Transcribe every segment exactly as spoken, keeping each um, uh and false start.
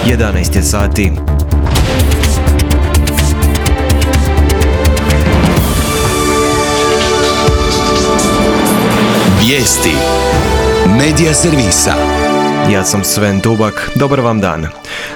jedanaest je sati. Vijesti Medija servisa. Ja sam Sven Dubak, dobar vam dan.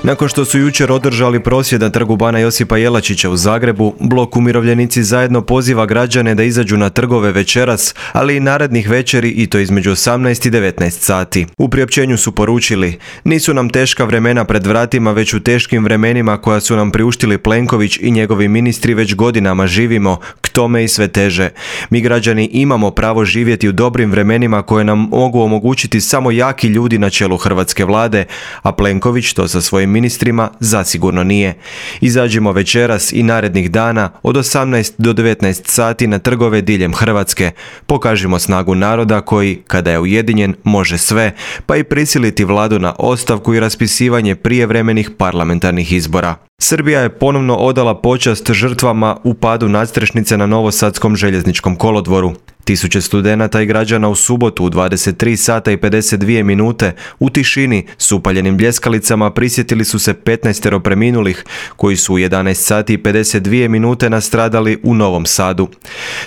Nakon što su jučer održali prosvjed na trgu Bana Josipa Jelačića u Zagrebu, Blok Umirovljenici zajedno poziva građane da izađu na trgove večeras, ali i narednih večeri i to između osamnaest i devetnaest sati. U priopćenju su poručili: nisu nam teška vremena pred vratima, već u teškim vremenima koja su nam priuštili Plenković i njegovi ministri već godinama živimo, k tome i sve teže. Mi građani imamo pravo živjeti u dobrim vremenima koje nam mogu omogućiti samo jaki ljudi na čelu hrvatske vlade, a Plenković to sa svojim ministrima zasigurno nije. Izađimo večeras i narednih dana od osamnaest do devetnaest sati na trgove diljem Hrvatske. Pokažimo snagu naroda koji, kada je ujedinjen, može sve, pa i prisiliti vladu na ostavku i raspisivanje prijevremenih parlamentarnih izbora. Srbija je ponovno odala počast žrtvama u padu nadstrešnice na Novosadskom željezničkom kolodvoru. Tisuće studenata i građana u subotu u dvadeset tri sata i pedeset dvije minute u tišini s upaljenim bljeskalicama prisjetili su se petnaestero preminulih koji su u jedanaest sati i pedeset dvije minute nastradali u Novom Sadu.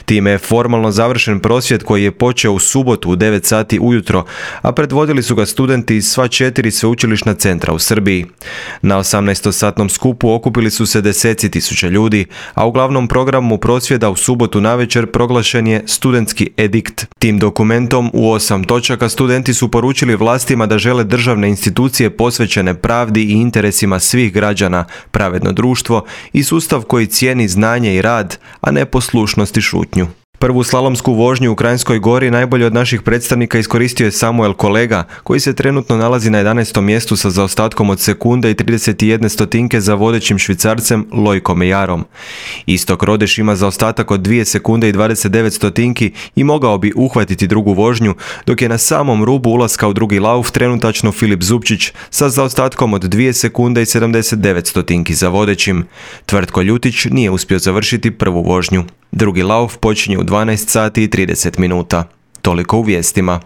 Time je formalno završen prosvjed koji je počeo u subotu u devet sati ujutro, a predvodili su ga studenti iz sva četiri sveučilišna centra u Srbiji. Na osamnaestosatnom skupu okupili su se deseci tisuća ljudi, a u glavnom programu prosvjeda u subotu navečer proglašen je studentski edikt. Tim dokumentom u osam točaka studenti su poručili vlastima da žele državne institucije posvećene pravdi i interesima svih građana, pravedno društvo i sustav koji cijeni znanje i rad, a ne poslušnost i šutnju. Prvu slalomsku vožnju u Kranjskoj Gori najbolje od naših predstavnika iskoristio je Samuel Kolega, koji se trenutno nalazi na jedanaestom mjestu sa zaostatkom od sekunde i trideset jedne stotinke za vodećim Švicarcem Lojkom Mejarom. Istok Rodeš ima zaostatak od dvije sekunde i dvadeset devet stotinki i mogao bi uhvatiti drugu vožnju, dok je na samom rubu ulaska u drugi lauf trenutačno Filip Zupčić sa zaostatkom od dvije sekunde i sedamdeset devet stotinki za vodećim. Tvrtko Ljutić nije uspio završiti prvu vožnju. Drugi lauf počinje u dvanaest sati i trideset minuta. Toliko u vijestima.